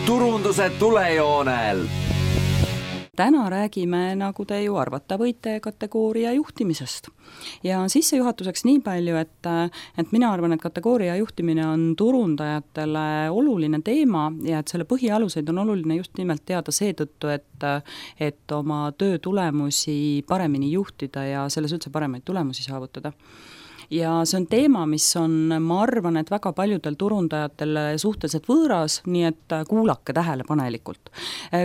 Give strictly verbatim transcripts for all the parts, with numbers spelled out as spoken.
turunduse tulejoonel. Täna räägime, nagu te ju arvata võite, kategooria juhtimisest. Ja sissejuhatuseks nii palju, et, et mina arvan, et kategooria juhtimine on turundajatele oluline teema ja et selle põhialuseid on oluline just nimelt teada seetõttu, et, et oma töö tulemusi paremini juhtida ja selles üldse paremaid tulemusi saavutada. Ja see on teema, mis on, ma arvan, et väga paljudel turundajatel suhteliselt võõras, nii et kuulake tähelepanelikult.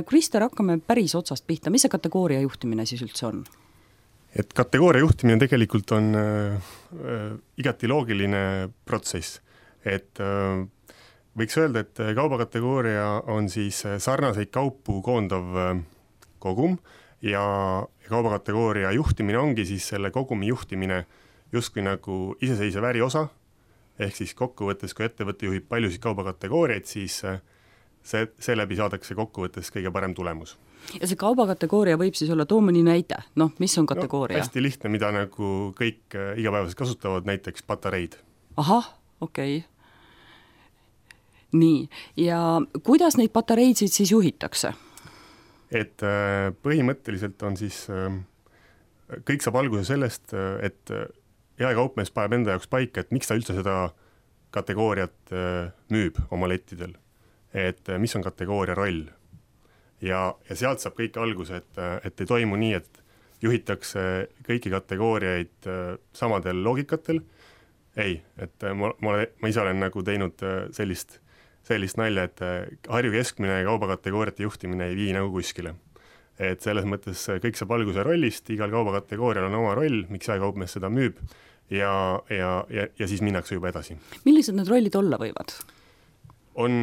Krister, hakkame päris otsast pihta. Mis see kategooria juhtimine siis üldse on? Et kategooria juhtimine tegelikult on äh, igati loogiline protsess. Et äh, võiks öelda, et kaubakategooria on siis sarnaseid kaupu koondav äh, kogum ja kaubakategooria juhtimine ongi siis selle kogumi juhtimine justkui nagu iseseisev äriosa, ehk siis kokkuvõttes, kui ettevõte juhib paljusid kaubakategooriaid, siis see, seeläbi saadakse kokkuvõttes kõige parem tulemus. Ja see kaubakategooria võib siis olla, too mõni näide, noh, mis on kategooria? No, hästi lihtne, mida nagu kõik igapäevaselt kasutavad, näiteks patareid. Ahah, okei. Okay. Nii, ja kuidas neid patareidsid siis juhitakse? Et põhimõtteliselt on siis, kõik saab alguse sellest, et jaekaupmees paneb enda jaoks paika, et miks ta üldse seda kategooriat müüb oma lettidel. Et mis on kategooria roll. Ja, ja sealt saab kõik alguse, et, et ei toimu nii, et juhitakse kõiki kategooriaid samadel loogikatel. Ei, et ma, ma, ma ise olen nagu teinud sellist, sellist nalja, et Harju keskmine kaubakategooriate juhtimine ei vii nagu kuskile. Et selles mõttes kõik saab alguse rollist, igal kaubakategoorial on oma roll, miks jaekaupmees seda müüb ja, ja, ja, ja siis minnakse juba edasi. Millised need rollid olla võivad? On,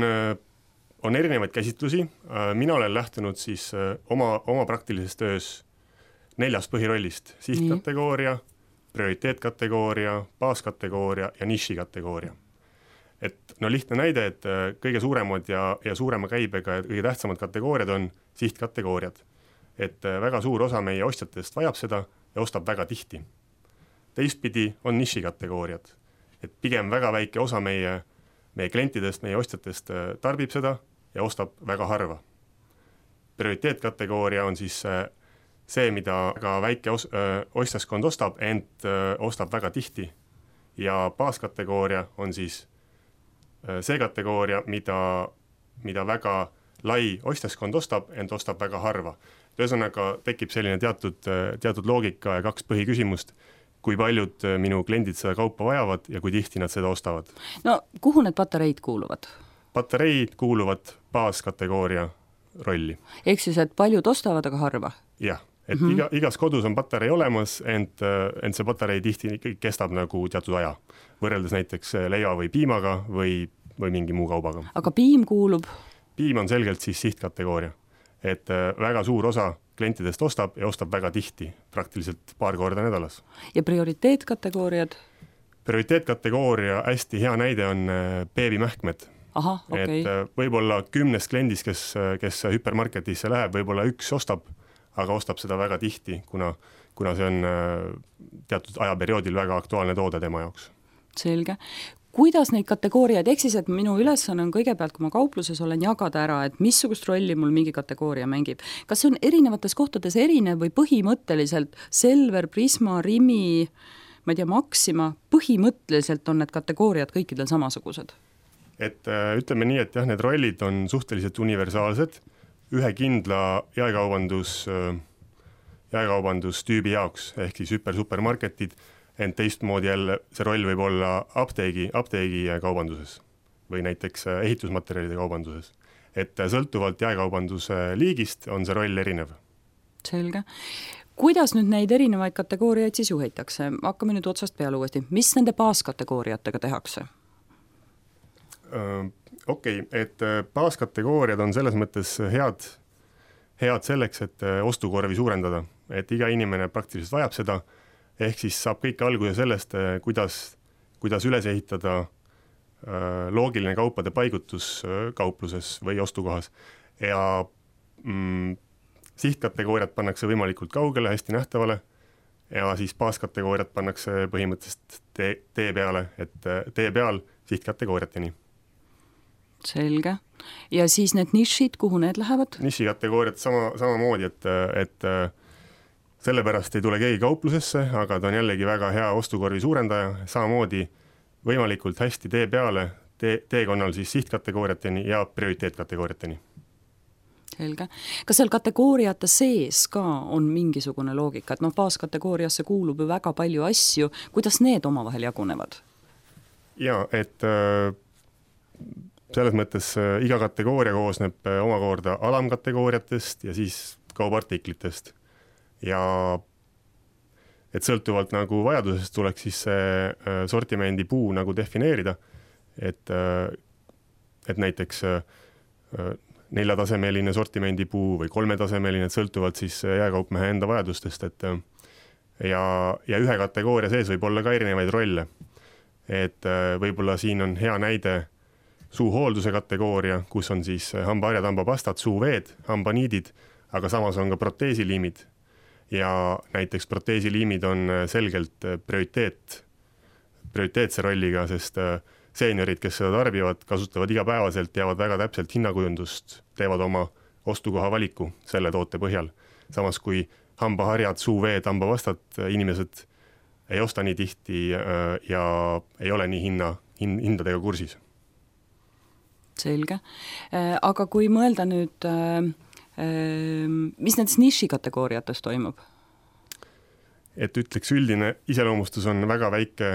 on erinevaid käsitlusi. Mina olen lähtunud siis oma, oma praktilises töös neljast põhirollist. Sihtkategooria, prioriteetkategooria, baaskategooria ja nišikategooria. Et no lihtne näide, et kõige suuremad ja, ja suurema käibega ja kõige tähtsamad kategooriad on sihtkategooriad. Et väga suur osa meie ostjatest vajab seda ja ostab väga tihti. Teistpidi on nišikategooriad. Et pigem väga väike osa meie, meie klientidest, meie ostjatest tarbib seda ja ostab väga harva. Prioriteetkategooria on siis see, mida väga väike os- ostjaskond ostab, ent ostab väga tihti. Ja baaskategooria on siis see kategooria, mida, mida väga lai ostjaskond ostab, ent ostab väga harva. Ühesõnaga tekib selline teatud, teatud loogika ja kaks põhiküsimust, kui paljud minu kliendid seda kaupa vajavad ja kui tihti nad seda ostavad. No kuhu need patareid kuuluvad? Patareid kuuluvad baaskategooria rolli. Ehk siis, et paljud ostavad, aga harva? Jah, et mm-hmm. iga, igas kodus on patarei olemas, ent, ent see patarei tihti kestab nagu teatud aja, võrreldes näiteks leiva või piimaga või, või mingi muu kaubaga. Aga piim kuulub? Piim on selgelt siis sihtkategooria. Et väga suur osa klientidest ostab ja ostab väga tihti, praktiliselt paar korda nädalas. Ja prioriteetkategooriad? Prioriteetkategooria hästi hea näide on beebimähkmed. Aha, okei. Okay. Et võib-olla kümnes kliendis, kes, kes hüpermarketisse läheb, võib-olla üks ostab, aga ostab seda väga tihti, kuna, kuna see on teatud ajaperioodil väga aktuaalne toode tema jaoks. Selge. Kuidas neid kategooriaid, ehk siis, et minu ülesanne on kõigepealt, kui ma kaupluses olen, jagada ära, et missugust rolli mul mingi kategooria mängib. Kas see on erinevates kohtades erinev või põhimõtteliselt Selver, Prisma, Rimi, ma ei tea, Maxima, põhimõtteliselt on need kategooriad kõikidel samasugused? Et ütleme nii, et jah, need rollid on suhteliselt universaalsed, ühe kindla jaekaubandus, jaekaubandustüübi jaoks, ehk siis hüper supermarketid, ent teistmoodi jälle see roll võib olla apteegi, apteegi kaubanduses või näiteks ehitusmaterjalide kaubanduses. Et sõltuvalt jaekaubanduse liigist on see roll erinev. Selge. Kuidas nüüd neid erinevaid kategooriaid siis juhitakse? Hakkame nüüd otsast peale uuesti. Mis nende baaskategooriatega tehakse? Okei, okay, et baaskategooriad on selles mõttes head, head selleks, et ostukorvi suurendada. Et iga inimene praktiliselt vajab seda, ehk siis saab kõik alguse sellest, kuidas, kuidas üles ehitada loogiline kaupade paigutus kaupluses või ostukohas. Ja mm, sihtkategooriad pannakse võimalikult kaugele, hästi nähtavale ja siis baaskategooriad pannakse põhimõtteliselt tee, tee peale, et tee peal sihtkategooriateni. Selge. ja siis need nišid, kuhu need lähevad? Niši kategooriad sama, samamoodi, et, et sellepärast ei tule keegi kauplusesse, aga ta on jällegi väga hea ostukorvi suurendaja, samamoodi võimalikult hästi tee peale, tee, teekonnal siis sihtkategooriateni ja prioriteetkategooriateni. Selge. Kas seal kategooriate sees ka on mingisugune loogika, et noh, baaskategooriasse kuulub ju väga palju asju, kuidas need omavahel jagunevad? Ja, et äh, selles mõttes äh, iga kategooria koosneb äh, omakorda alamkategooriatest ja siis kaubartiklitest. Ja et sõltuvalt nagu vajadusest tuleks siis see äh, sortimendi puu nagu defineerida, et, äh, et näiteks äh, neljatasemeline sortimendi puu või kolmetasemeline, et sõltuvalt siis jääkaupmehe enda vajadustest, et ja, ja ühe kategooria sees võib olla ka erinevaid rolle. Et võib-olla siin on hea näide suuhoolduse kategooria, kus on siis hambaharjad, hambapastad, suuveed, hambaniidid, aga samas on ka proteesiliimid. Ja näiteks proteesiliimid on selgelt prioriteet, prioriteetse rolliga, sest seeniorid, kes seda tarbivad, kasutavad igapäevaselt, teavad väga täpselt hinnakujundust, teevad oma ostukoha valiku selle toote põhjal. Samas kui hambaharjad, suuveed, hambapastad inimesed ei osta nii tihti ja ei ole nii hinna, hindadega kursis. Selge. Aga kui mõelda nüüd, mis nendes niši kategooriates toimub? Et ütleks, üldine iseloomustus on väga väike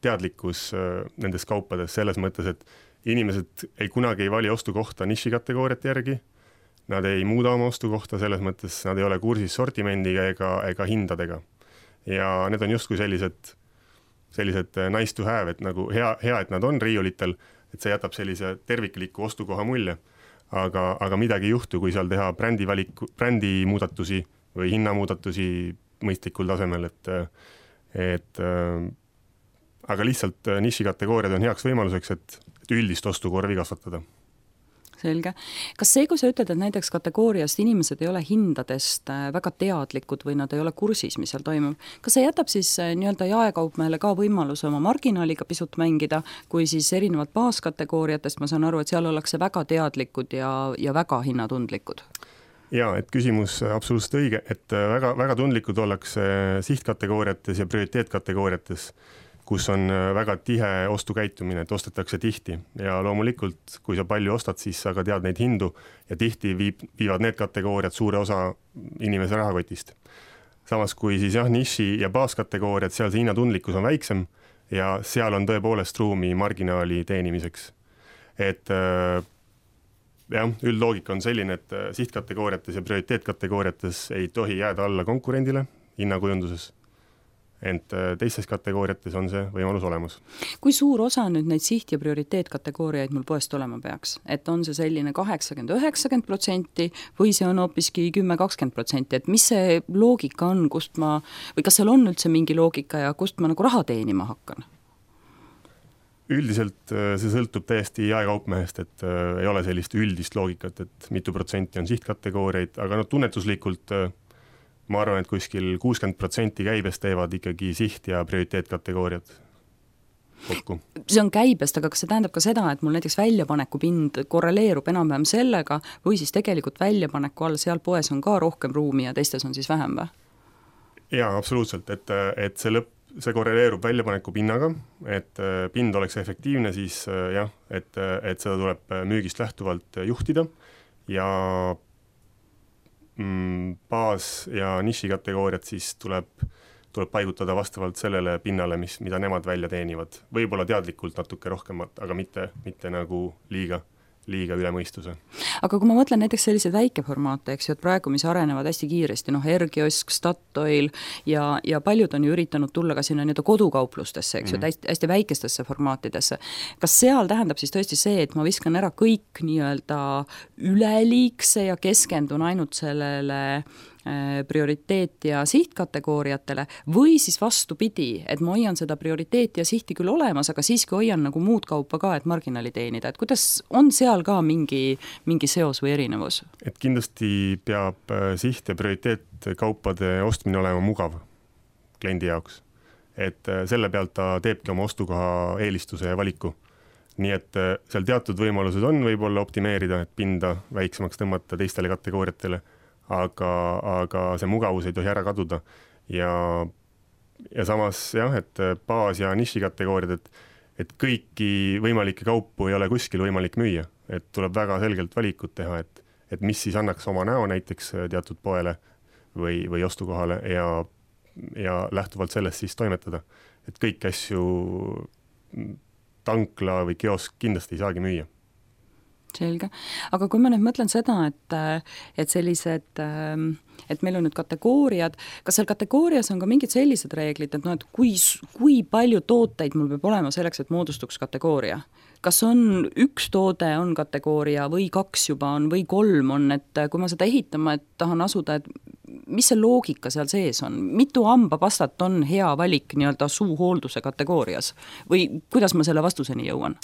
teadlikkus nendes kaupades selles mõttes, et inimesed ei kunagi ei vali ostukohta niši kategooriate järgi, nad ei muuda oma ostukohta selles mõttes, nad ei ole kursis sortimendiga ega, ega hindadega. Ja need on justkui sellised, sellised nice to have, et nagu hea, hea, et nad on riiulitel, et see jätab sellise tervikliku ostukoha mulje, aga, aga midagi ei juhtu, kui seal teha brändi, valiku, brändi muudatusi või hinnamuudatusi mõistlikul tasemel, et, et aga lihtsalt niši kategooriad on heaks võimaluseks, et, et üldist ostukorvi kasvatada. Selge. Kas see, kui sa ütled, et näiteks kategooriast inimesed ei ole hindadest väga teadlikud või nad ei ole kursis, mis seal toimub, kas see jätab siis nii-öelda jaekaupmehele ka võimaluse oma marginaaliga pisut mängida, kui siis erinevad baaskategooriatest, ma saan aru, et seal ollakse väga teadlikud ja, ja väga hinnatundlikud? Ja, et küsimus absoluutselt õige, et väga, väga tundlikud ollakse sihtkategooriates ja prioriteetkategooriates, kus on väga tihe ostukäitumine, et ostetakse tihti ja loomulikult, kui sa palju ostad, siis sa ka tead neid hindu ja tihti viib, viivad need kategooriad suure osa inimese rahakotist. Samas kui siis jah, niši ja baaskategooriad, seal see hinnatundlikkus on väiksem ja seal on tõepoolest ruumi marginaali teenimiseks. Et jah, üldloogika on selline, et sihtkategooriates ja prioriteetkategooriates ei tohi jääda alla konkurendile hinnakujunduses. Ent teistes kategooriates on see võimalus olemas. Kui suur osa nüüd neid siht- ja prioriteetkategooriaid mul poest olema peaks? Et on see selline kaheksakümmend üheksakümmend protsenti või see on hoopiski kümme kakskümmend protsenti, et mis see loogika on, kust ma, või kas seal on üldse mingi loogika ja kust ma nagu raha teenima hakkan? Üldiselt see sõltub täiesti jaekaupmehest, et ei ole sellist üldist loogikat, et mitu protsenti on sihtkategooriaid, aga no tunnetuslikult ma arvan, et kuskil kuuskümmend protsenti käibest teevad ikkagi siht- ja prioriteetkategooriad kokku. See on käibest, aga kas see tähendab ka seda, et mul näiteks väljapaneku pind korreleerub enam-vähem sellega või siis tegelikult väljapaneku all seal poes on ka rohkem ruumi ja teistes on siis vähem või? Jaa, absoluutselt, et, et see, lõpp, see korreleerub väljapaneku pinnaga, et pind oleks efektiivne, siis jah, et, et seda tuleb müügist lähtuvalt juhtida ja baas- ja niši kategooriat siis tuleb, tuleb paigutada vastavalt sellele pinnale, mis, mida nemad välja teenivad. Võib-olla teadlikult natuke rohkemat, aga mitte, mitte nagu liiga, liiga üle mõistuse. Aga kui ma mõtlen näiteks selliseid väikeformaate, eks ju, et praegu, mis arenevad hästi kiiresti, noh, Ergiosk, Statoil ja, ja paljud on ju üritanud tulla ka sinna nii-öelda kodukauplustesse, eks ju, mm-hmm. hästi, hästi väikestesse formaatidesse. Kas seal tähendab siis tõesti see, et ma viskan ära kõik nii-öelda üleliigse ja keskendun ainult sellele prioriteet- ja sihtkategooriatele või siis vastupidi, et ma hoian seda prioriteeti ja sihti küll olemas, aga siiski hoian nagu muud kaupa ka, et marginaali teenida, et kuidas on seal ka mingi, mingi seos või erinevus? Et kindlasti peab siht- ja prioriteetkaupade ostmine olema mugav kliendi jaoks, et selle pealt ta teebki oma ostukoha eelistuse ja valiku nii et seal teatud võimalused on võib-olla optimeerida, et pinda väiksemaks tõmmata teistele kategooriatele, aga, aga see mugavus ei tohi ära kaduda ja, ja samas jah, et baas- ja nišikategooriad, et, et kõiki võimalikke kaupu ei ole kuskil võimalik müüa, et tuleb väga selgelt valikut teha, et, et mis siis annaks oma näo näiteks teatud poele või, või ostukohale ja, ja lähtuvalt sellest siis toimetada, et kõiki asju tankla või kiosk kindlasti ei saagi müüa. Selge. Aga kui ma nüüd mõtlen seda, et, et sellised, et meil on nüüd kategooriad, kas seal kategoorias on ka mingid sellised reeglid, et, no, et kui, kui palju tooteid mul peab olema selleks, et moodustuks kategooria? Kas on üks toode on kategooria või kaks juba on või kolm on, et kui ma seda ehitama, et tahan asuda, et mis see loogika seal sees on? Mitu hambapastat on hea valik nii-öelda suuhoolduse kategoorias? Või kuidas ma selle vastuseni jõuan?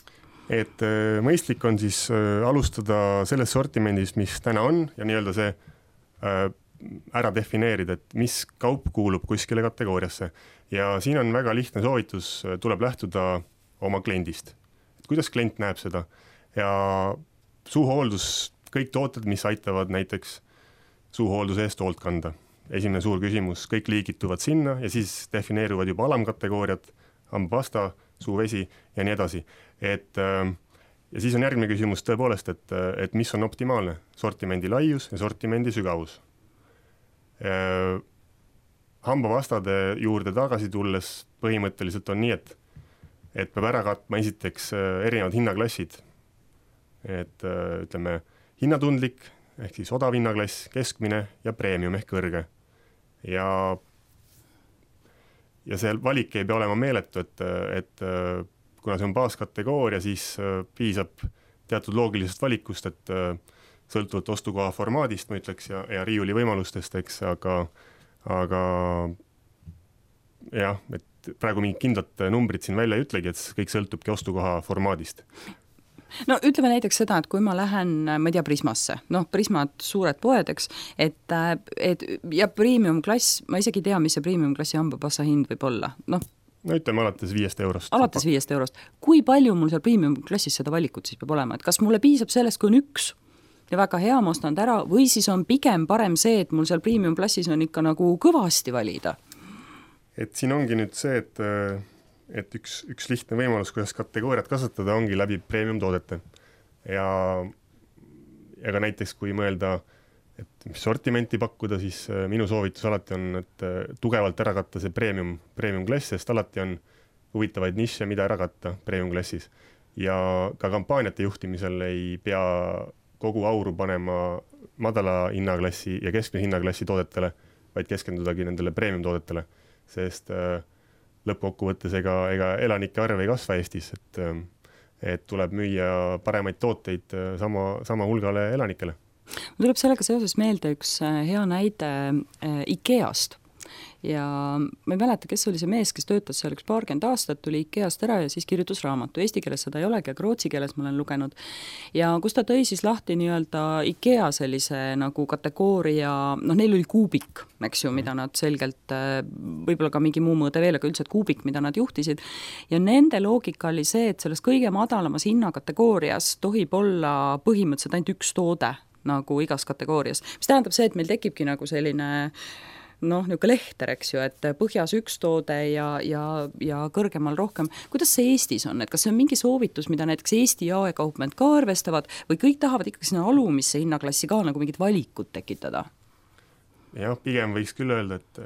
Et mõistlik on siis alustada selles sortimendis, mis täna on ja nii-öelda see ära defineerida, et mis kaup kuulub kuskile kategooriasse. Ja siin on väga lihtne soovitus, tuleb lähtuda oma kliendist. Et kuidas klient näeb seda? Ja suuhooldus, kõik tooted, mis aitavad näiteks suuhoolduse eest hoolt kanda. Esimene suur küsimus, kõik liigituvad sinna ja siis defineeruvad juba alamkategooriad, hambapasta, suuvesi ja nii edasi. Et, ja siis on järgmine küsimus tõepoolest, et, et mis on optimaalne sortimendi laius ja sortimendi sügavus. Hambapastade juurde tagasi tulles põhimõtteliselt on nii, et, et peab ära katma esiteks erinevad hinnaklassid. Et ütleme hinnatundlik ehk siis odav hinnaklass, keskmine ja premium ehk kõrge. Ja, ja see valik ei pea olema meeletu, et, et kuna see on baaskategooria, siis piisab teatud loogilisest valikust, et sõltuvalt ostukoha formaadist, ma ütleks, ja, ja riiuli võimalustest, eks, aga, aga jah, et praegu mingid kindlad numbrid siin välja ei ütlegi, et kõik sõltubki ostukoha formaadist. No ütleme näiteks seda, et kui ma lähen, ma ei tea, Prismasse, noh, Prismad suured poed, eks, et, et ja premium klass, ma isegi tea, mis see premium klassi hambapassa hind võib olla, noh, no ütleme alates viiest eurost. Alates viiest eurost. Kui palju mul seal premium klassis seda valikut siis peab olema? Et kas mulle piisab sellest, kui on üks ja väga hea, ma ostan ära, või siis on pigem parem see, et mul seal premium klassis on ikka nagu kõvasti valida? Et siin ongi nüüd see, et, et üks, üks lihtne võimalus, kuidas kategooriat kasvatada, ongi läbi premium toodete. Ja, ja ka näiteks, kui mõelda, et mis sortimenti pakkuda, siis minu soovitus alati on, et tugevalt ära katta see premium, premium klass, sest alati on huvitavaid nišše, mida ära katta premium klassis. Ja ka kampaaniate juhtimisel ei pea kogu auru panema madala hinnaklassi ja keskmise hinnaklassi toodetele, vaid keskendudagi nendele premium toodetele, sest lõppkokkuvõttes ega, ega elanike arv ei kasva Eestis, et, et tuleb müüa paremaid tooteid sama, sama hulgale elanikele. Mul tuleb sellega seoses meelde üks hea näide IKEAst. Ja ma ei mäleta, kes oli see mees, kes töötas seal üks paarkümmend aastat, tuli IKEAst ära ja siis kirjutas raamatu. Eesti keeles seda ei olegi, aga rootsi keeles ma olen lugenud. Ja kus ta tõi siis lahti nii-öelda IKEA sellise nagu kategooria, noh, neil oli kuubik, eks ju, mida nad selgelt, võib-olla ka mingi muu mõõde veel, aga üldse kuubik, mida nad juhtisid. Ja nende loogika oli see, et selles kõige madalamas hinnakategoorias tohib olla põhimõtteliselt ainult üks toode nagu igas kategoorias. Mis tähendab see, et meil tekibki nagu selline noh, niisugune lehter, eks ju, et põhjas üks toode ja, ja, ja kõrgemal rohkem. Kuidas see Eestis on? Et kas see on mingi soovitus, mida näiteks Eesti jaekaupmehed ka arvestavad või kõik tahavad ikkagi sinna alumisse hinnaklassi ka nagu mingid valikud tekitada? Jah, pigem võiks küll öelda, et,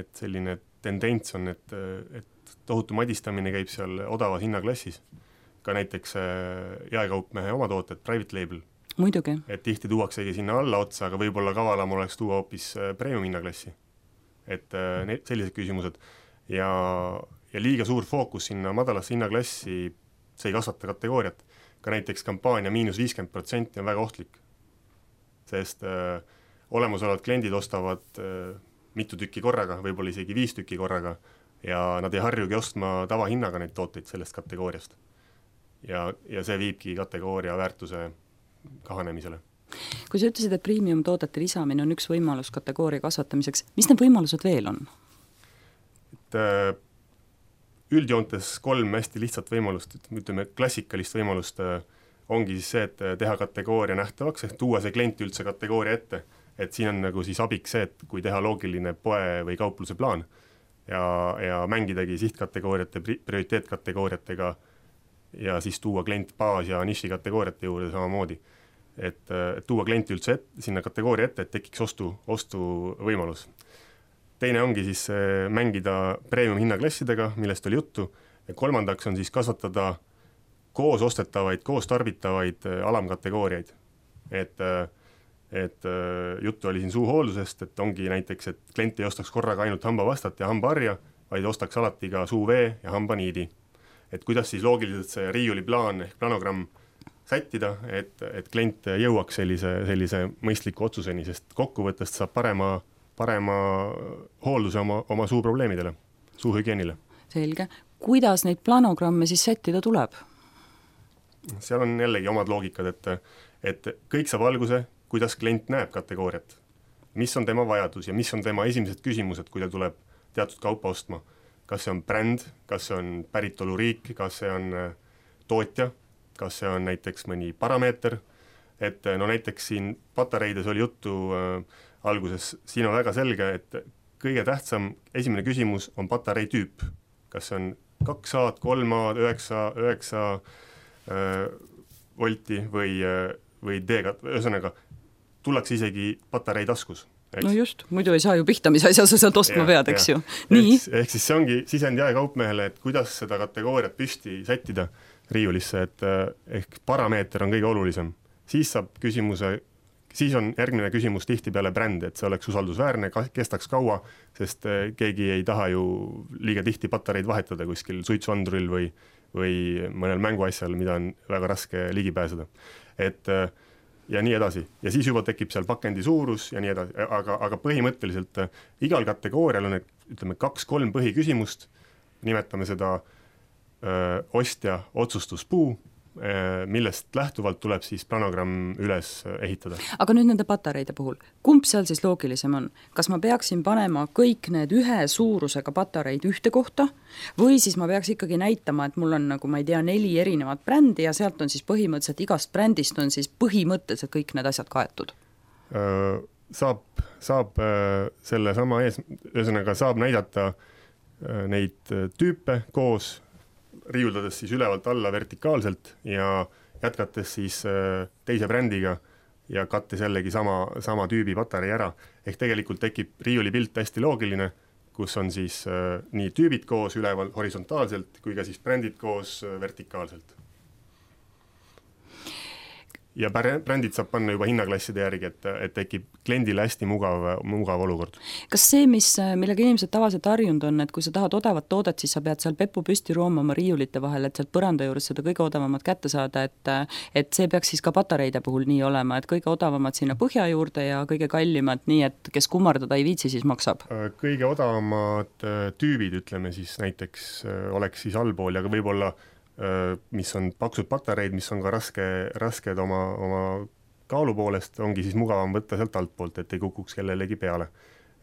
et selline tendents on, et, et tohutu madistamine käib seal odavas hinnaklassis. Ka näiteks jaekaupmehe oma tooted, private label. Muidugi. Et tihti tuuaksegi sinna alla otsa, aga võib-olla kavalam oleks tuua hoopis premium hinnaklassi. Et need, sellised küsimused ja, ja liiga suur fookus sinna madalasse hinnaklassi, see ei kasvata kategooriat. Ka näiteks kampaania miinus viiskümmend protsenti on väga ohtlik, sest äh, olemasolevad kliendid ostavad äh, mitu tükki korraga, võib-olla isegi viis tükki korraga ja nad ei harjugi ostma tavahinnaga neid tooteid sellest kategooriast. Ja, ja see viibki kategooria väärtuse kahanemisele. Kui sa ütlesid, et premium toodete lisamine on üks võimalus kategooria kasvatamiseks, mis need võimalused veel on? Et, üldjoontes kolm hästi lihtsat võimalust, ütleme klassikalist võimalust ongi siis see, et teha kategooria nähtavaks, ehk tuua see klient üldse kategooria ette, et siin on nagu siis abiks see, et kui teha loogiline poe või kaupluse plaan ja, ja mängidagi sihtkategooriate, prioriteetkategooriatega ja siis tuua klient baas- ja nišikategooriate juurde samamoodi. Et, et tuua klienti üldse et, sinna kategooria ette, et tekiks ostu, ostu võimalus. Teine ongi siis mängida premium hinnaklassidega, millest oli juttu, ja kolmandaks on siis kasvatada koos ostetavaid, koos tarbitavaid alamkategooriaid. Et, et juttu oli siin suuhooldusest, et ongi näiteks, et klient ei ostaks korraga ainult hambavastat ja hambaharja, vaid ostaks alati ka suuvee ja hambaniidi. Et kuidas siis loogiliselt see riiuliplaan ehk planogramm sättida, et, et klient jõuaks sellise, sellise mõistliku otsuseni, sest kokkuvõttest saab parema parema hoolduse oma, oma suuprobleemidele, suuhügienile. Selge. Kuidas neid planogramme siis sättida tuleb? Seal on jällegi omad loogikad, et, et kõik saab alguse, kuidas klient näeb kategooriat. Mis on tema vajadus ja mis on tema esimesed küsimused, kui ta tuleb teatud kaupa ostma. Kas see on bränd, kas see on päritoluriik, kas see on tootja, kas see on näiteks mõni parameeter, et no näiteks siin patareides oli juttu äh, alguses, siin on väga selge, et kõige tähtsam esimene küsimus on patarei tüüp. Kas see on kaks A-d, kolm A-d, üheksa, üheksa äh, volti või, või D-gat, ühesõnaga tullakse isegi patarei taskus. Eks? No just, muidu ei saa ju pihta, mis asja sa sealt ostma ja, pead, eks ju. Nii. Ehk, ehk siis see ongi sisend jaekaupmehele, et kuidas seda kategooriat püsti sättida riiulisse, et ehk parameeter on kõige olulisem. Siis saab küsimuse Siis on järgmine küsimus tihti peale bränd, et see oleks usaldusväärne, kestaks kaua, sest keegi ei taha ju liiga tihti patareid vahetada kuskil suitsuanduril või, või mõnel mänguasjal, mida on väga raske ligi pääseda. Et, ja nii edasi. Ja siis juba tekib seal pakendi suurus ja nii edasi, aga, aga põhimõtteliselt igal kategoorial on ütleme, kaks-kolm põhiküsimust, nimetame seda öö, ostja otsustuspuu, millest lähtuvalt tuleb siis planogramm üles ehitada. Aga nüüd nende patareide puhul, kumb seal siis loogilisem on? Kas ma peaksin panema kõik need ühe suurusega patareid ühte kohta või siis ma peaks ikkagi näitama, et mul on nagu ma ei tea neli erinevat brändi ja sealt on siis põhimõtteliselt igast brändist on siis põhimõtteliselt kõik need asjad kaetud? Saab, saab selle sama ees, ühesõnaga saab näidata neid tüüpe koos riiuldades siis ülevalt alla vertikaalselt ja jätkates siis teise brändiga ja kattes jällegi sama, sama tüübi patarei ära. Ehk tegelikult tekib riiulipilt hästi loogiline, kus on siis nii tüübid koos üleval horisontaalselt kui ka siis brändid koos vertikaalselt. Ja brändid saab panna juba hinnaklasside järgi, et, et tekib kliendile hästi mugav, mugav olukord. Kas see, mis, millega inimesed tavaliselt harjunud on, et kui sa tahad odavat toodet, siis sa pead seal peppu püsti roomama riiulite vahel, et sealt põranda juures seda kõige odavamat kätte saada, et, et see peaks siis ka patareide puhul nii olema, et kõige odavamad sinna põhja juurde ja kõige kallimad nii, et kes kummardada ei viitsi, siis maksab? Kõige odavamad tüübid, ütleme siis näiteks, oleks siis allpool ja võib-olla mis on paksud patareid, mis on ka raske, rasked oma, oma kaalu poolest, ongi siis mugavam võtta sealt altpoolt, et ei kukuks kellelegi peale.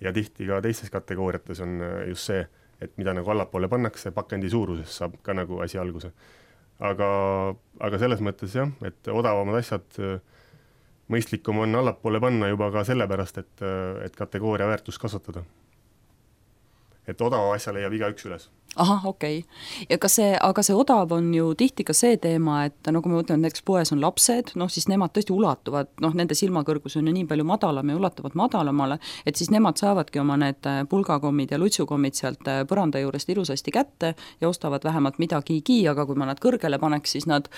Ja tihti ka teistes kategooriates on just see, et mida nagu allapoole pannakse, pakendi suuruses saab ka nagu asi alguse. Aga, aga selles mõttes jah, et odavamad asjad mõistlikum on allapoole panna juba ka sellepärast, et, et kategooria väärtust kasvatada. Et odava asja leiab iga üks üles. Aha, okei. Okay. Ja kas see, aga see odav on ju tihti ka see teema, et nagu me mõtleme, et näiteks poes on lapsed, noh siis nemad tõesti ulatuvad, noh nende silmakõrgus on ju nii palju madalam ja ulatuvad madalamale, et siis nemad saavadki oma need pulgakommid ja lutsukommid sealt põranda juurest ilusasti kätte ja ostavad vähemalt midagigi, aga kui ma nad kõrgele paneks, siis nad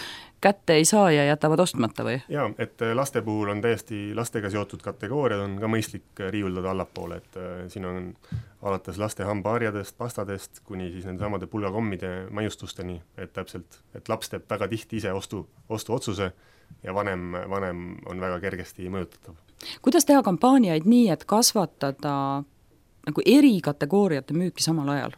kätte ei saa ja jätavad ostmata või? Jaa, et laste puhul on täiesti lastega seotud kategooriad on ka mõistlik riiuldada allapoole, et siin on alates laste hambaharjadest, pastadest, kuni siis nende samade pulgakommide maiustusteni, et täpselt, et laps teeb väga tihti ise ostu, ostu otsuse ja vanem, vanem on väga kergesti mõjutatav. Kuidas teha kampaaniaid nii, et kasvatada nagu eri kategooriate müüki samal ajal?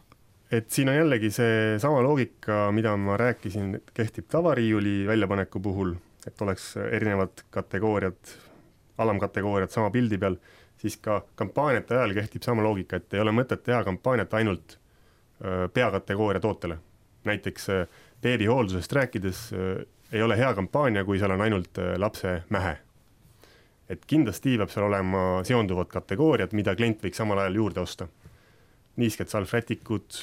Et siin on jällegi see sama loogika, mida ma rääkisin, kehtib tavariiuli väljapaneku puhul, et oleks erinevad kategooriad, alamkategooriad sama pildi peal, siis ka kampaaniate ajal kehtib sama loogika, et ei ole mõtet teha kampaaniat ainult peakategooria tootele. Näiteks beebihooldusest rääkides ei ole hea kampaania, kui seal on ainult lapse mähe. Et kindlasti peab seal olema seonduvad kategooriad, mida klient võiks samal ajal juurde osta. Niisked salvrätikud,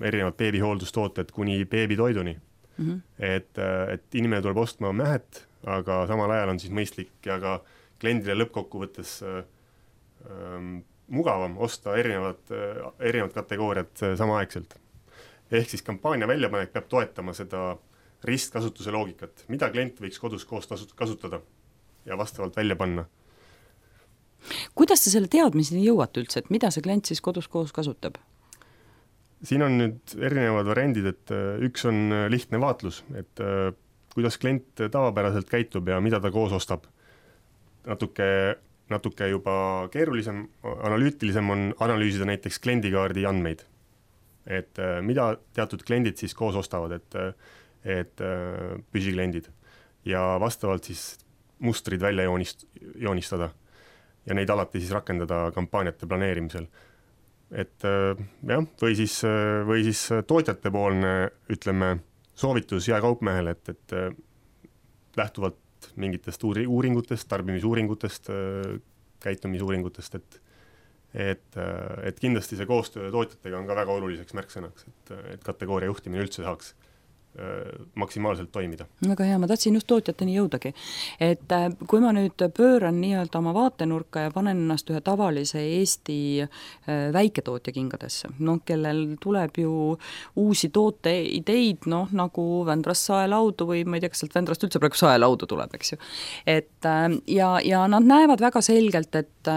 erinevad beebihooldustooted kuni beebitoiduni. Mm-hmm. Et, et inimene tuleb ostma mähet, aga samal ajal on siis mõistlik ja ka kliendile lõppkokkuvõttes ähm, mugavam osta erinevad, erinevad kategooriad samaaegselt. Ehk siis kampaania väljapanek peab toetama seda ristkasutuse loogikat, mida klient võiks kodus koos kasutada ja vastavalt välja panna. Kuidas te selle teadmiseni jõuate üldse, et mida see klient siis kodus koos kasutab? Siin on nüüd erinevad variandid, et üks on lihtne vaatlus, et kuidas klient tavapäraselt käitub ja mida ta koos ostab. Natuke, natuke juba keerulisem, analüütilisem on analüüsida näiteks kliendikaardi andmeid. Et mida teatud kliendid siis koos ostavad, et, et püsikliendid ja vastavalt siis mustrid välja joonist, joonistada ja neid alati siis rakendada kampaaniate planeerimisel. Et jah, või siis, või siis tootjate poolne, ütleme, soovitus jääkaupmehele, et, et lähtuvalt mingitest uuringutest, tarbimisuuringutest, käitumisuuringutest, et, et, et kindlasti see koostöö tootjatega on ka väga oluliseks märksõnaks, et, et kategooria juhtimine üldse saaks maksimaalselt toimida. Väga hea, ma tahtsin just tootjateni jõudagi. Et kui ma nüüd pööran nii-öelda oma vaatenurka ja panen ennast ühe tavalise Eesti väiketootja kingadesse, noh, kellel tuleb ju uusi tooteideid, noh, nagu Vändrast saelaudu või ma ei tea, kas sealt Vändrast üldse praegu saelaudu tuleb, eks ju. Et ja, ja nad näevad väga selgelt, et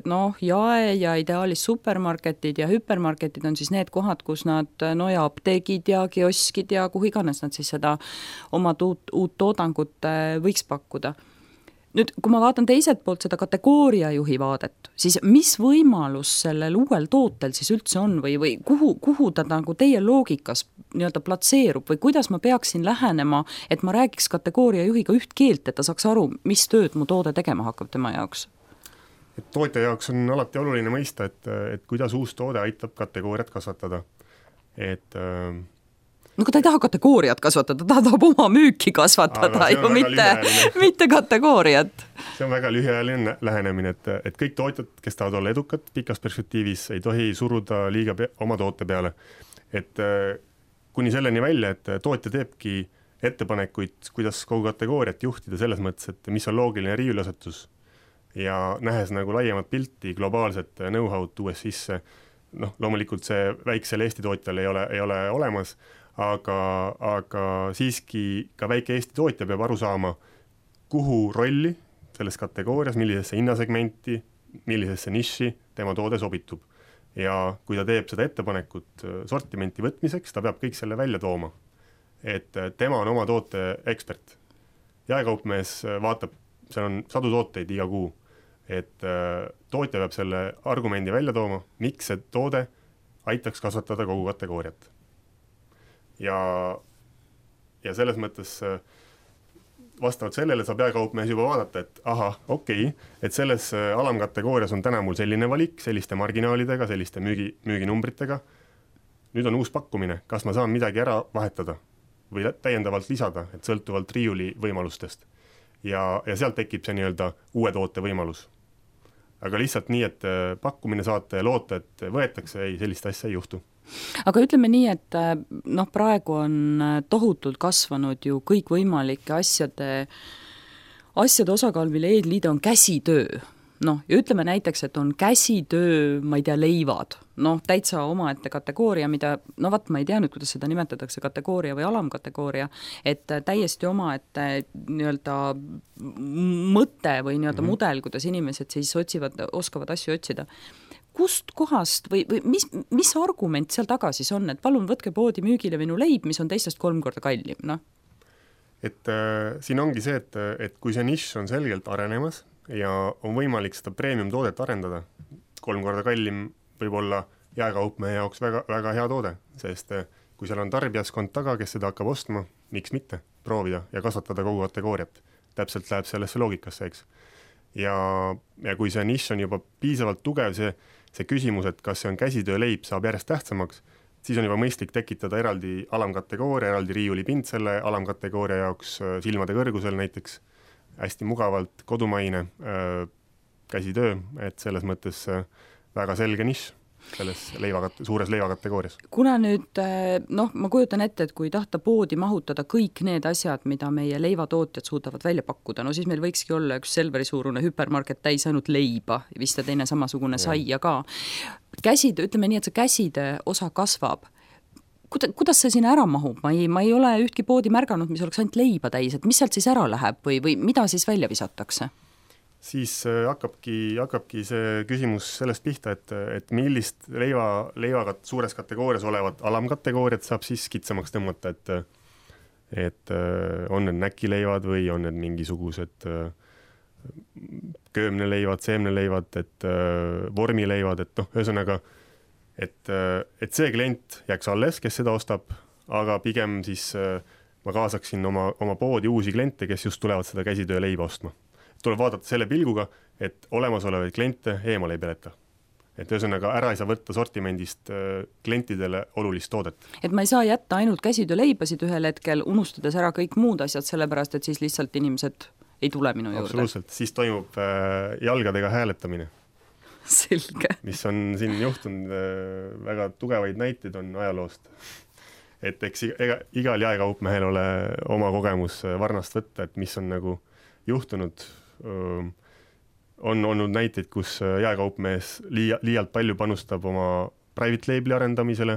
noh, jae ja ideaalis supermarketid ja hüpermarketid on siis need kohad, kus nad, no ja apteegid ja kioskid ja kuhu iganes nad siis seda oma uut, uut toodangut võiks pakkuda. Nüüd, kui ma vaatan teiselt poolt seda kategooria juhi vaadet, siis mis võimalus sellel uuel tootel siis üldse on või, või kuhu, kuhu ta nagu teie loogikas nii-öelda platseerub või kuidas ma peaksin lähenema, et ma räägiks kategooria juhiga üht keelt, et ta saaks aru, mis tööd mu toode tegema hakkab tema jaoks? Et tootja jaoks on alati oluline mõista, et, et kuidas uus toode aitab kategooriat kasvatada. Et äh, no kui ta ei taha kategooriat kasvatada, ta tahab oma müüki kasvatada ju, mitte, mitte kategooriat. See on väga lühiajaline lähenemine, et, et kõik tootjad, kes tahavad olla edukad pikas perspektiivis, ei tohi suruda liiga pe- oma toote peale. Et kuni selleni välja, et tootja teebki ettepanekuid, kuidas kogu kategooriat juhtida selles mõttes, et mis on loogiline riiulasetus ja nähes nagu laiemat pilti, globaalset know-how'd tuues sisse. Noh, loomulikult see väiksel Eesti tootjal ei ole, ei ole olemas, Aga, aga siiski ka väike Eesti tootja peab aru saama, kuhu rolli selles kategoorias, millisesse hinnasegmenti, millisesse niši tema toode sobitub. Ja kui ta teeb seda ettepanekut sortimenti võtmiseks, ta peab kõik selle välja tooma. Et tema on oma toote ekspert. Jaekaupmees vaatab, seal on sadu tooteid iga kuu. Et tootja peab selle argumendi välja tooma, miks see toode aitaks kasvatada kogu kategooriat. Ja, ja selles mõttes vastavalt sellele saab jääkaupmees juba vaadata, et aha, okei, okay, et selles alamkategoorias on täna mul selline valik, selliste marginaalidega, selliste müügi, müüginumbritega. Nüüd on uus pakkumine, kas ma saan midagi ära vahetada või täiendavalt lisada, et sõltuvalt riiuli võimalustest. Ja, ja sealt tekib see nii-öelda uue toote võimalus. Aga lihtsalt nii, et pakkumine saate ja loota, et võetakse, ei, sellist asja ei juhtu. Aga ütleme nii, et noh, praegu on tohutult kasvanud ju kõik võimalike asjade, asjade osakaal, mille eedliide on käsitöö. Noh, ja ütleme näiteks, et on käsitöö, ma ei tea, leivad. Noh, täitsa omaette kategooria, mida, no vat, ma ei tea nüüd, kuidas seda nimetatakse, kategooria või alamkategooria, et täiesti omaette nii-öelda mõte või nii-öelda mm-hmm. mudel, kuidas inimesed siis otsivad, oskavad asju otsida. Kust kohast või, või mis, mis argument seal taga siis on, et palun võtke poodi müügile minu leib, mis on teistest kolm korda kallim, noh? Et äh, siin ongi see, et, et kui see nišš on selgelt arenemas ja on võimalik seda premium toodet arendada, kolm korda kallim võib olla jääkaupmehe jaoks väga, väga hea toode, sest kui seal on tarbijaskond taga, kes seda hakkab ostma, miks mitte proovida ja kasvatada kogu kategooriat. Täpselt läheb sellesse loogikasse, eks. Ja, ja kui see nišš on juba piisavalt tugev, see see küsimus, et kas see on käsitöö leib, saab järjest tähtsamaks, siis on juba mõistlik tekitada eraldi alamkategooria, eraldi riiulipind selle alamkategooria jaoks silmade kõrgusel näiteks, hästi mugavalt kodumaine käsitöö, et selles mõttes väga selge nišš selles leivakat-, suures leivakategoorias. Kuna nüüd, noh, ma kujutan ette, et kui tahta poodi mahutada kõik need asjad, mida meie leivatootjad suudavad välja pakkuda, no siis meil võikski olla üks Selveri suurune hüpermarket täis ainult leiba, vist ja teine samasugune ja. Saia ka. Käsid, ütleme nii, et see käside osa kasvab. Kuda, kuidas see sinna ära mahub? Ma ei, ma ei ole ühtki poodi märganud, mis oleks ainult leiba täis, et mis sealt siis ära läheb või, või mida siis välja visatakse? Siis hakkabki, hakkabki see küsimus sellest pihta, et, et millist leiva, leivakat suures kategoorias olevat alamkategooriat saab siis kitsamaks tõmmata, et, et on need näkileivad või on need mingisugused köömneleivad, seemneleivad, et vormileivad, et noh, ühesõnaga, et, et see klient jääks alles, kes seda ostab, aga pigem siis ma kaasaksin oma, oma poodi uusi kliente, kes just tulevad seda käsitöö leiba ostma. Tuleb vaadata selle pilguga, et olemasolevaid kliente eemale ei peleta. Et ühesõnaga ära ei saa võtta sortimendist klientidele olulist toodet. Et ma ei saa jätta ainult käsitöö leibasid ühel hetkel, unustades ära kõik muud asjad, sellepärast et siis lihtsalt inimesed ei tule minu juurde. Absoluutselt, siis toimub jalgadega hääletamine. Selge. Mis on siin juhtunud, väga tugevaid näiteid on ajaloost. Et eks iga, igal jaekaupmehel ole oma kogemus varnast võtta, et mis on nagu juhtunud. On olnud näiteid, kus jaekaupmees liia, liialt palju panustab oma private label'i arendamisele,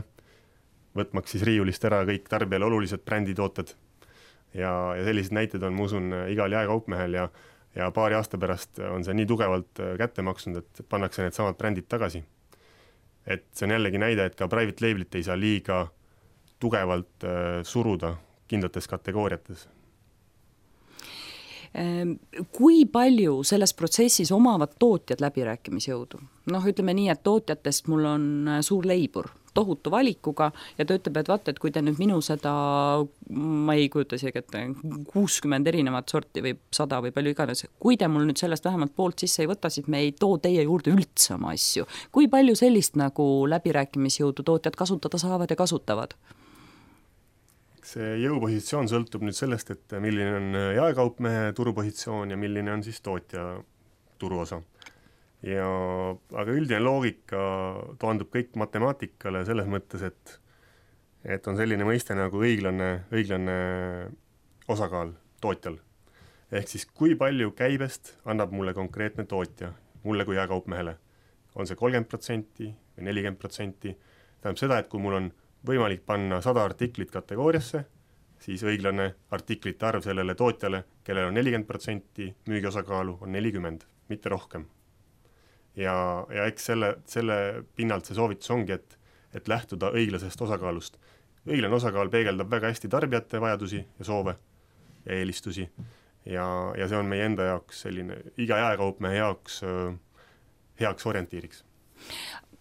võtmaks siis riiulist ära kõik tarbijale olulised bränditooted. Ja, ja sellised näited on, ma usun, igal jaekaupmehel ja, ja paari aasta pärast on see nii tugevalt kätte maksnud, et pannakse need samad brändid tagasi. Et see on jällegi näide, et ka private label'it ei saa liiga tugevalt suruda kindlates kategooriates. Kui palju selles protsessis omavad tootjad läbirääkimisjõudu? Noh, ütleme nii, et tootjatest mul on suur leibur, tohutu valikuga ja ta ütleb, et vaata, et kui te nüüd minu seda, ma ei kujuta isegi, et kuuskümmend erinevat sorti või sada või palju iganes, kui te mul nüüd sellest vähemalt poolt sisse ei võta, siis me ei too teie juurde üldse oma asju. Kui palju sellist nagu läbirääkimisjõudu tootjad kasutada saavad ja kasutavad? See jõupositsioon sõltub nüüd sellest, et milline on jaekaupmehe turupositsioon ja milline on siis tootja turuosa. Ja, aga üldine loogika toandub kõik matemaatikale selles mõttes, et, et on selline mõiste nagu õiglane, õiglane osakaal tootjal. Ehk siis kui palju käibest annab mulle konkreetne tootja, mulle kui jaekaupmehele. On see kolmkümmend protsenti või nelikümmend protsenti. Tähendab seda, et kui mul on võimalik panna sada artiklit kategooriasse, siis õiglane artiklite arv sellele tootjale, kellel on nelikümmend protsenti müügiosakaalu, on nelikümmend, mitte rohkem. Ja, ja eks selle, selle pinnalt see soovitus ongi, et, et lähtuda õiglasest osakaalust. Õiglane osakaal peegeldab väga hästi tarbijate vajadusi ja soove ja eelistusi. Ja, ja see on meie enda jaoks selline, iga jaekaupmehe jaoks äh, heaks orientiiriks.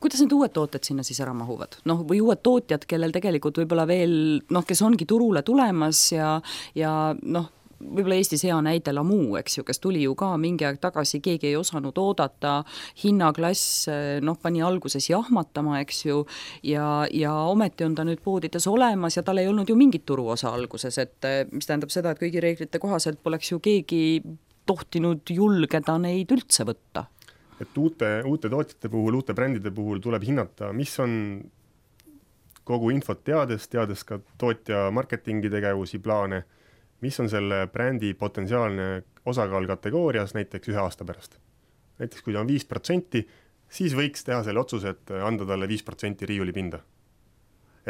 Kuidas need uued tooted sinna siis ära mahuvad? Noh, või uued tootjad, kellel tegelikult võib-olla veel, noh, kes ongi turule tulemas ja, ja noh, võib-olla Eestis hea näide Lamu, eks ju, kes tuli ju ka mingi aeg tagasi, keegi ei osanud oodata, hinnaklass, noh, pani alguses jahmatama, eks ju, ja, ja ometi on ta nüüd poodides olemas ja tal ei olnud ju mingit turuosa alguses, et mis tähendab seda, et kõigi reeglite kohaselt poleks ju keegi tohtinud julgeda neid üldse võtta. Et uute, uute tootjate puhul, uute brändide puhul tuleb hinnata, mis on kogu infot teades, teades ka tootja marketingi tegevusi, plaane, mis on selle brändi potentsiaalne osakaal kategoorias näiteks ühe aasta pärast. Näiteks kui ta on viis protsenti, siis võiks teha selle otsuse, et anda talle viis protsenti riiulipinda.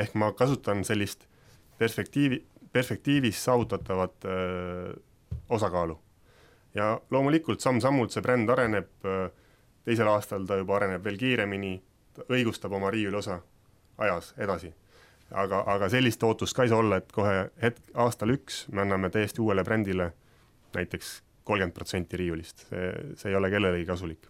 Ehk ma kasutan sellist perspektiivi, perspektiivis saavutatavat öö, osakaalu. Ja loomulikult samm-sammult see bränd areneb, teisel aastal ta juba areneb veel kiiremini, õigustab oma riiuli osa ajas edasi. Aga, aga sellist ootust ka ei saa olla, et kohe hetk, aastal üks me anname täiesti uuele brändile näiteks kolmkümmend protsenti riiulist. See, see ei ole kellelegi kasulik.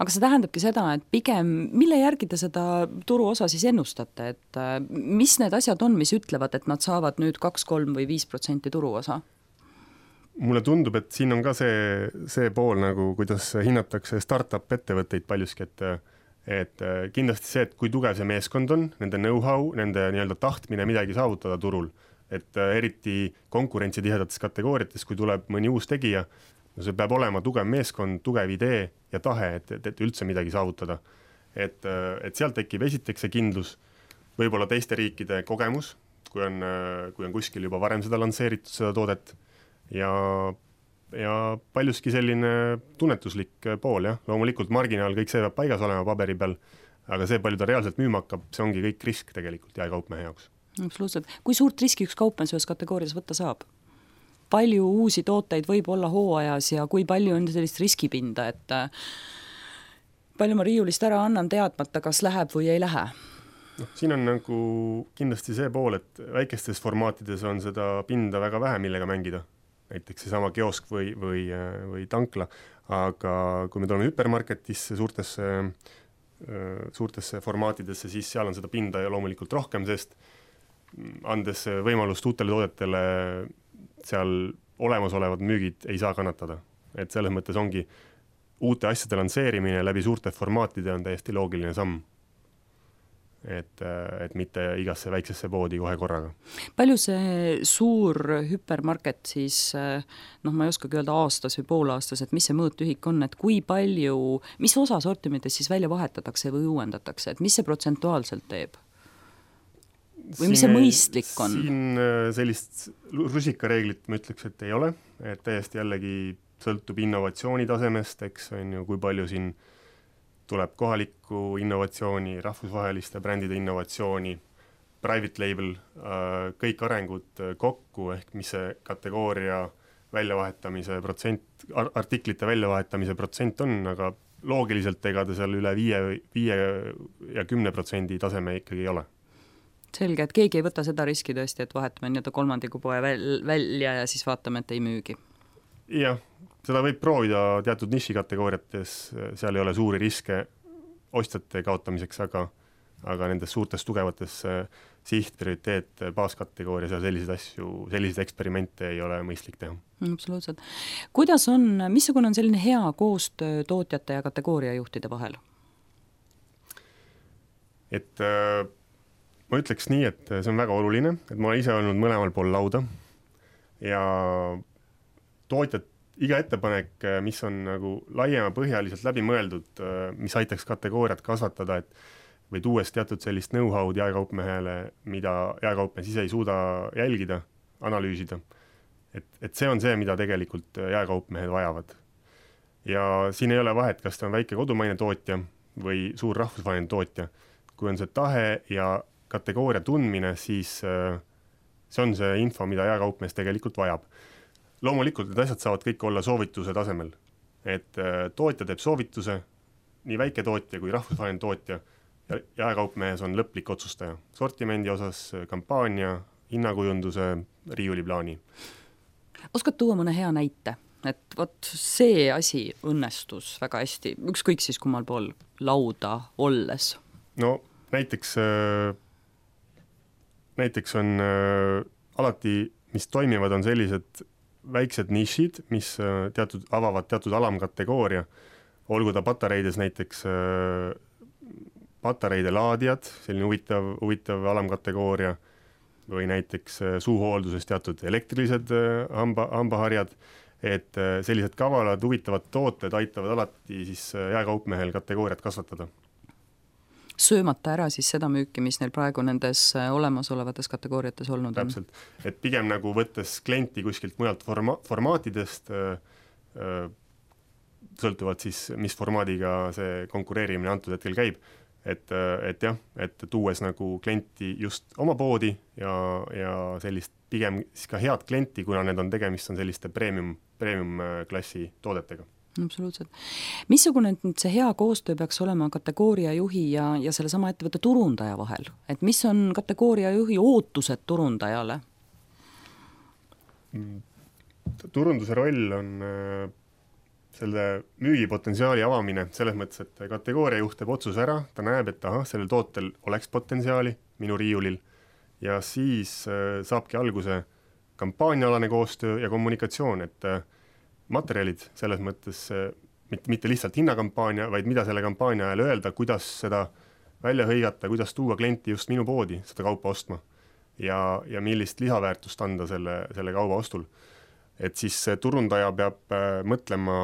Aga see tähendabki seda, et pigem, mille järgi te seda turuosa siis ennustate, et mis need asjad on, mis ütlevad, et nad saavad nüüd kaks, kolm või viis protsenti turuosa? Mulle tundub, et siin on ka see, see pool, nagu kuidas hinnatakse startup ettevõtteid paljuski, et, et kindlasti see, et kui tugev see meeskond on, nende know-how, nende nii-öelda tahtmine midagi saavutada turul, et eriti konkurentsitihedates kategooriates, kui tuleb mõni uus tegija, no see peab olema tugev meeskond, tugev idee ja tahe, et, et, et üldse midagi saavutada. Et, et sealt tekib esiteks see kindlus, võib-olla teiste riikide kogemus, kui on, kui on kuskil juba varem seda lansseeritud, seda toodet, ja, ja paljuski selline tunnetuslik pool, jah. Loomulikult marginaal, kõik see peab paigas olema paberi peal, aga see, palju ta reaalselt müüma hakkab, see ongi kõik risk tegelikult jaekaupmehe jaoks. Absoluutselt. Kui suurt riski üks kaupmees ühes kategoorias võtta saab? Palju uusi tooteid võib olla hooajas ja kui palju on sellist riskipinda, et palju ma riiulist ära annan teadmata, kas läheb või ei lähe? No, siin on nagu kindlasti see pool, et väikestes formaatides on seda pinda väga vähe, millega mängida. Näiteks see sama kiosk või, või, või tankla, aga kui me tuleme hüpermarketisse, suurtesse, suurtesse formaatidesse, siis seal on seda pinda ja loomulikult rohkem, sest andes võimalust uutele toodetele seal olemasolevad müügid ei saa kannatada. Et selles mõttes ongi uute asjade lansseerimine läbi suurte formaatide on täiesti loogiline samm. Et, et mitte igasse väiksesse poodi kohe korraga. Palju see suur hüpermarket siis, noh ma ei oskagi öelda aastas või poolaastas, et mis see mõõtühik on, et kui palju, mis osa sortimentes siis välja vahetatakse või uuendatakse, et mis see protsentuaalselt teeb? Või mis see mõistlik on? Siin sellist rusikareeglit ma ütleks, et ei ole, et täiesti jällegi sõltub innovatsiooni tasemest, eks on ju, kui palju siin tuleb kohalikku innovatsiooni, rahvusvaheliste brändide innovatsiooni, private label, kõik arengud kokku, ehk mis see kategooria väljavahetamise protsent, artiklite väljavahetamise protsent on, aga loogiliselt ega ta seal üle viie, viie ja kümne protsendi taseme ikkagi ei ole. Selge, et keegi ei võta seda riski tõesti, et vahetame nii-öelda kolmandiku poe väl- välja ja siis vaatame, et ei müügi. Jah, seda võib proovida teatud nišikategooriates, seal ei ole suuri riske ostjate kaotamiseks, aga, aga nendes suurtes tugevates siht, prioriteet, baaskategoorias ja selliseid asju, selliseid eksperimente ei ole mõistlik teha. Absoluutselt. Kuidas on, missugune on selline hea koostöö tootjate ja kategooria juhtide vahel? Et ma ütleks nii, et see on väga oluline, et ma olen ise olnud mõlemal pool lauda ja tootjad, iga ettepanek, mis on nagu laiema põhjaliselt läbi mõeldud, mis aitaks kategooriat kasvatada, et või tuues teatud sellist know-how'd jaekaupmehele, mida jaekaupmees ise ei suuda jälgida, analüüsida. Et, et see on see, mida tegelikult jaekaupmehed vajavad. Ja siin ei ole vahet, kas ta on väike kodumaine tootja või suur rahvusvaheline tootja. Kui on see tahe ja kategooria tundmine, siis see on see info, mida jaekaupmees tegelikult vajab. Loomulikult need asjad saavad kõik olla soovituse tasemel. Et tootja teeb soovituse, nii väike tootja kui rahvusvaheline tootja, ja jaekaupmehes on lõplik otsustaja. Sortimendi osas, kampaania, hinnakujunduse, riiuliplaani. Oskad tuua mõne hea näite? Et võt see asi õnnestus väga hästi, ükskõik siis kummal pool lauda olles. No näiteks näiteks on äh, alati, mis toimivad, on sellised väiksed nišid, mis äh, teatud, avavad teatud alamkategooria, olgu ta patareides näiteks äh, patareide laadijad, selline huvitav, huvitav alamkategooria, või näiteks äh, suuhoolduses teatud elektrilised äh, hamba, hambaharjad, et äh, sellised kavalad, huvitavad tooted aitavad alati siis äh, jaekaupmehel kategooriat kasvatada. Söömata ära siis seda müüki, mis neil praegu nendes olemasolevates kategooriates olnud on. Täpselt, et pigem nagu võttes klienti kuskilt mujalt forma- formaatidest äh, äh, sõltuvalt siis, mis formaadiga see konkureerimine antud hetkel käib, et, äh, et jah, et tuues nagu klienti just oma poodi ja, ja sellist pigem siis ka head klienti, kuna need on tegemist on selliste premium, premium klassi toodetega. Absoluutselt. Missugune see hea koostöö peaks olema kategooria juhi ja, ja selle sama ettevõtte turundaja vahel? Et mis on kategooria juhi ootused turundajale? Turunduse roll on selle müügipotentsiaali avamine selles mõttes, et kategooria juht teeb otsuse ära, ta näeb, et aha, sellel tootel oleks potentsiaali minu riiulil ja siis saabki alguse kampaaniaalane koostöö ja kommunikatsioon, et materjalid selles mõttes, mitte, mitte lihtsalt hinnakampaania, vaid mida selle kampaania ajal öelda, kuidas seda välja hõigata, kuidas tuua klienti just minu poodi seda kaupa ostma ja, ja millist lisaväärtust anda selle, selle kauba ostul. Et siis turundaja peab mõtlema,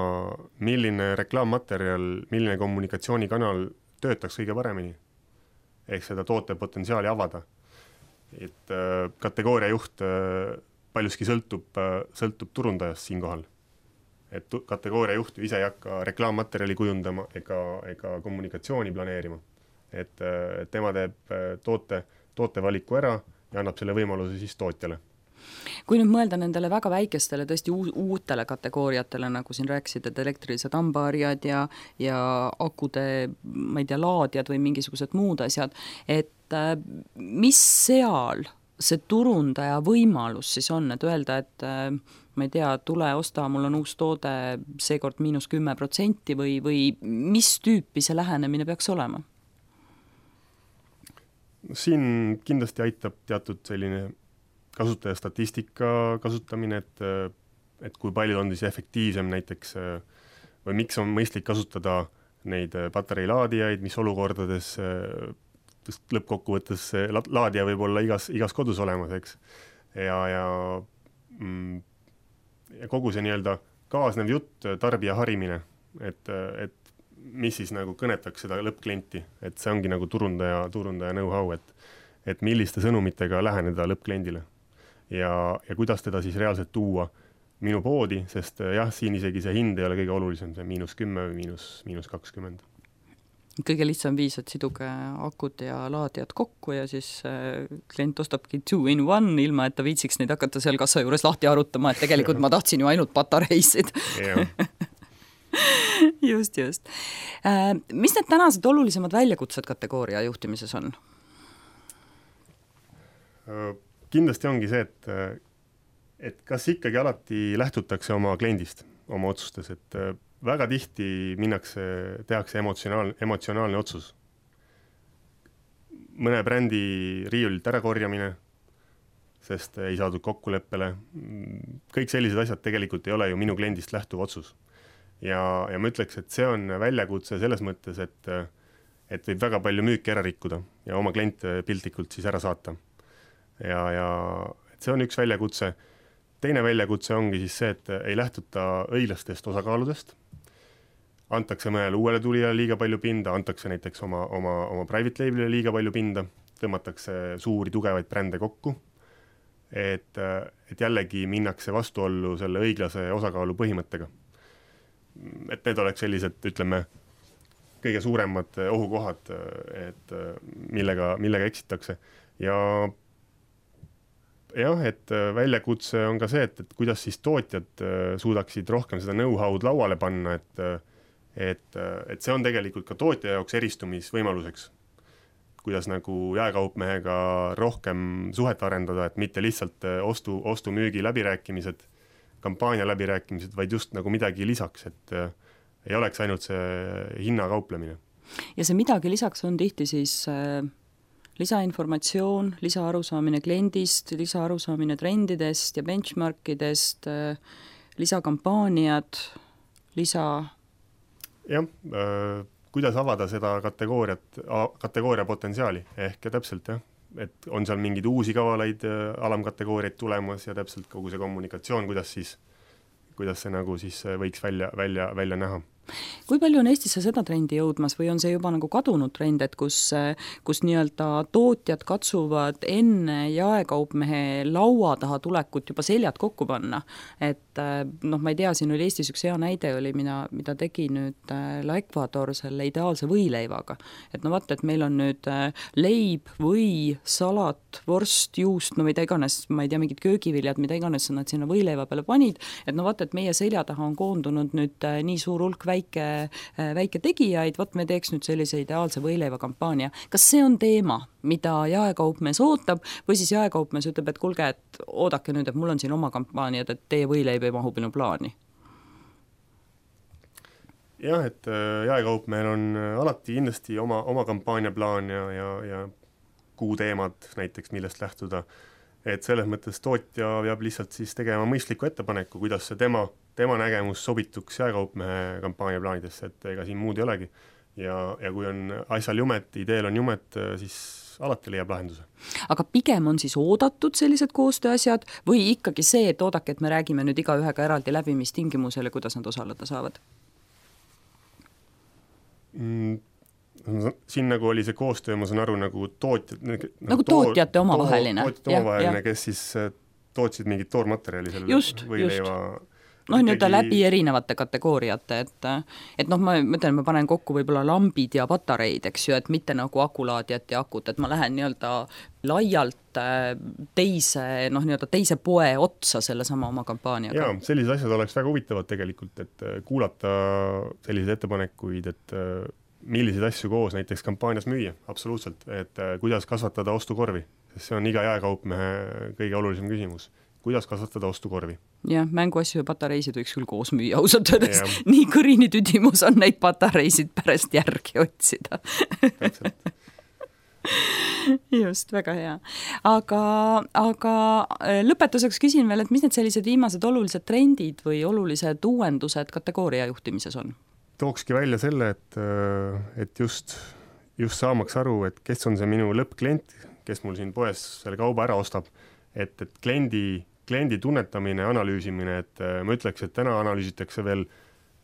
milline reklaammaterjal, milline kommunikatsioonikanal töötaks kõige paremini, ehk seda toote potentsiaali avada. Et kategooria juht paljuski sõltub, sõltub turundajast siinkohal. Et kategooria juht ise ei hakka reklaammaterjali kujundama ega, ega kommunikatsiooni planeerima. Et, et tema teeb toote, tootevaliku ära ja annab selle võimaluse siis tootjale. Kui nüüd mõelda nendele väga väikestele, tõesti uutele kategooriatele, nagu siin rääkisid, et elektrilised hambaharjad ja, ja akude, ma ei tea, laadjad või mingisugused muud asjad, et mis seal see turundaja võimalus siis on, et öelda, et ma ei tea, tule osta, mul on uus toode seekord miinus kümme protsenti või, või mis tüüpi see lähenemine peaks olema? Siin kindlasti aitab teatud selline kasutaja statistika kasutamine, et, et kui palju on siis efektiivsem näiteks või miks on mõistlik kasutada neid patareilaadijaid, mis olukordades lõppkokkuvõttes laadija võib olla igas, igas kodus olemas, eks. Ja, ja, ja kogu see nii-öelda kaasnev jutt, tarbija harimine, et, et mis siis nagu kõnetaks seda lõppklienti, et see ongi nagu turundaja, turundaja know-how, et, et milliste sõnumitega läheneda lõppkliendile. Ja, ja kuidas teda siis reaalselt tuua minu poodi, sest jah, siin isegi see hind ei ole kõige olulisem, see miinus kümme või miinus, miinus kakskümmend. Kõige lihtsam viis, et siduge akud ja laadijad kokku ja siis klient ostabki two in one, ilma et ta viitsiks neid hakata seal kassa juures lahti arutama, et tegelikult ma tahtsin ju ainult patareisid. just, just. Mis need tänased olulisemad väljakutsed kategooria juhtimises on? Kindlasti ongi see, et, et kas ikkagi alati lähtutakse oma kliendist, oma otsustes, et väga tihti minnakse, tehakse emotsionaal, emotsionaalne otsus. Mõne brändi riiulilt ära korjamine, sest ei saadud kokkuleppele. Kõik sellised asjad tegelikult ei ole ju minu kliendist lähtuv otsus. Ja, ja ma ütleks, et see on väljakutse selles mõttes, et, et võib väga palju müüki ära rikkuda ja oma klient piltlikult siis ära saata. Ja, ja et see on üks väljakutse. Teine väljakutse ongi siis see, et ei lähtuta õiglastest osakaaludest. Antakse mõnele uuele tulijale liiga palju pinda, antakse näiteks oma, oma, oma private labelile liiga palju pinda, tõmmatakse suuri tugevaid brände kokku. Et, et jällegi minnakse vastuollu selle õiglase osakaalu põhimõttega. Et need oleks sellised, ütleme, kõige suuremad ohukohad, et millega, millega eksitakse. Ja jah, et väljakutse on ka see, et, et kuidas siis tootjad suudaksid rohkem seda know-how'd lauale panna, et, et, et see on tegelikult ka tootja jaoks eristumisvõimaluseks. Kuidas nagu jaekaupmehega rohkem suhet arendada, et mitte lihtsalt ostu, ostu müügi läbirääkimised, kampaania läbirääkimised, vaid just nagu midagi lisaks, et ei oleks ainult see hinnakauplemine. Ja see midagi lisaks on tihti siis lisainformatsioon, lisaarusaamine kliendist, lisaarusaamine trendidest ja benchmarkidest, lisakampaaniad, lisa... Jah, äh, kuidas avada seda kategooriat, kategooria potentsiaali, ehk täpselt jah, et on seal mingid uusi kavalaid alamkategooriaid tulemas ja täpselt kogu see kommunikatsioon, kuidas siis, kuidas see nagu siis võiks välja, välja, välja näha. Kui palju on Eestisse seda trendi jõudmas või on see juba nagu kadunud trend, et kus, kus nii-öelda tootjad katsuvad enne jaekaupmehe laua taha tulekut juba seljad kokku panna? Et noh, ma ei tea, siin oli Eestis üks hea näide oli, mida, mida tegi nüüd La Ecuador selle ideaalse võileivaga. Et no vaata, et meil on nüüd leib, või, salat, vorst, juust, no mida iganes, ma ei tea, mingid köögiviljad, mida iganes nad sinna võileiva peale panid, et no vaata, et meie selja taha on koondunud nüüd nii suur hulk väike Väike, väike tegijaid, võt me teeks nüüd sellise ideaalse võileiva kampaania. Kas see on teema, mida jaekaupmees ootab või siis jaekaupmees ütleb, et kulge, et oodake nüüd, et mul on siin oma kampaaniad, et teie võileib ei mahu minu plaani? Jah, et jaekaupmehel on alati kindlasti oma, oma kampaaniaplaan ja, ja, ja kuuteemad näiteks, millest lähtuda. Et selles mõttes tootja peab lihtsalt siis tegema mõistliku ettepaneku, kuidas see tema tema nägemus sobituks jaekaupmehe kampaania plaanidesse, et ega siin muud ei olegi. Ja, ja kui on asjal jumet, ideel on jumet, siis alati leiab lahenduse. Aga pigem on siis oodatud sellised koostööasjad või ikkagi see, et oodake, et me räägime nüüd iga ühega eraldi läbi, mis tingimusele, kuidas nad osaleda saavad? Mm, siin nagu oli see koostöö, ma saan aru, nagu tootjad nagu, nagu tootjate omavaheline, tootjate omavaheline, kes siis tootsid mingit toormaterjali selle just, võileiva just. Noh, nüüd ikkagi... läbi erinevate kategooriate, et, et noh, ma mõtlen, ma panen kokku võib-olla lambid ja patareid, eks ju, et mitte nagu akulaadjad ja akut, et ma lähen nii-öelda laialt teise, noh, nii-öelda teise poe otsa selle sama oma kampaaniaga. Jaa, sellised asjad oleks väga huvitavad tegelikult, et kuulata selliseid ettepanekuid, et milliseid asju koos näiteks kampaanias müüa, absoluutselt, et kuidas kasvatada ostukorvi, sest see on iga jaekaupmehe kõige olulisem küsimus. Kuidas kasvatada ostukorvi? Jah, mänguasju ja patareisid võiks küll koos müüa ausalt öeldes. Nii kõrini tüdimus on neid patareisid pärast järgi otsida. Just, väga hea. Aga, aga lõpetuseks küsin veel, et mis need sellised viimased olulised trendid või olulised uuendused kategooria juhtimises on? Tookski välja selle, et, et just, just saamaks aru, et kes on see minu lõppklient, kes mul siin poes selle kauba ära ostab, et, et kliendi, kliendi tunnetamine, analüüsimine, et ma ütleks, et täna analüüsitakse veel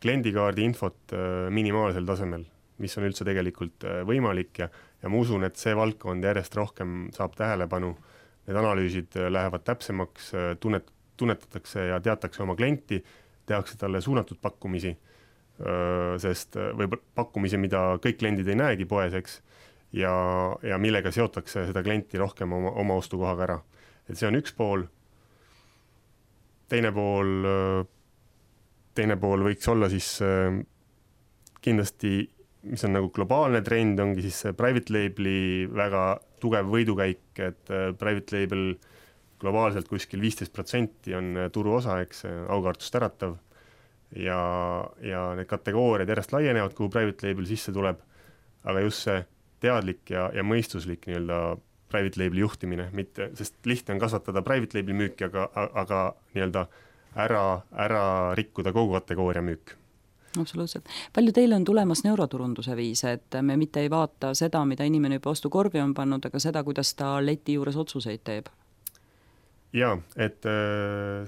kliendikaardi infot minimaalsel tasemel, mis on üldse tegelikult võimalik ja, ja ma usun, et see valdkond järjest rohkem saab tähelepanu. Need analüüsid lähevad täpsemaks, tunnet, tunnetatakse ja teatakse oma klienti, tehakse talle suunatud pakkumisi, sest või pakkumisi, mida kõik kliendid ei näegi poes, eks, ja, ja millega seotakse seda klienti rohkem oma, oma ostukohaga ära. Et see on üks pool, teine pool, teine pool võiks olla siis kindlasti, mis on nagu globaalne trend, ongi siis private label'i väga tugev võidukäik, et private label globaalselt kuskil viisteist protsenti on turu osa, eks, aukartust äratav ja, ja need kategooriad järjest laienevad, kuhu private label sisse tuleb, aga just see teadlik ja, ja mõistuslik nii-öelda private label juhtimine, mitte, sest lihtne on kasvatada private label müüki, aga, aga nii-öelda ära, ära rikkuda kogu kategooria müük. Absoluutselt. Palju teil on tulemas neuroturunduse viise, et me mitte ei vaata seda, mida inimene juba ostukorvi on pannud, aga seda, kuidas ta leti juures otsuseid teeb? Jaa, et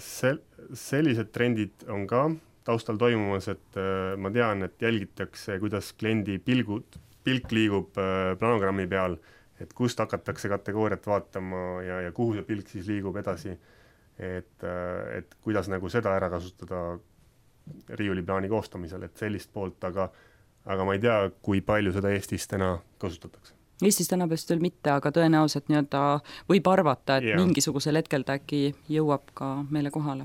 sel, sellised trendid on ka taustal toimumas, et ma tean, et jälgitakse, kuidas kliendi pilgud, pilk liigub planogrammi peal, et kust hakatakse kategooriat vaatama ja, ja kuhu see pilk siis liigub edasi, et, et kuidas nagu seda ära kasutada riiuliplaani koostamisel, et sellist poolt, aga, aga ma ei tea, kui palju seda Eestis täna kasutatakse. Eestis täna vist veel mitte, aga tõenäoliselt nii-öelda võib arvata, et ja. mingisugusel hetkel ta äkki jõuab ka meile kohale.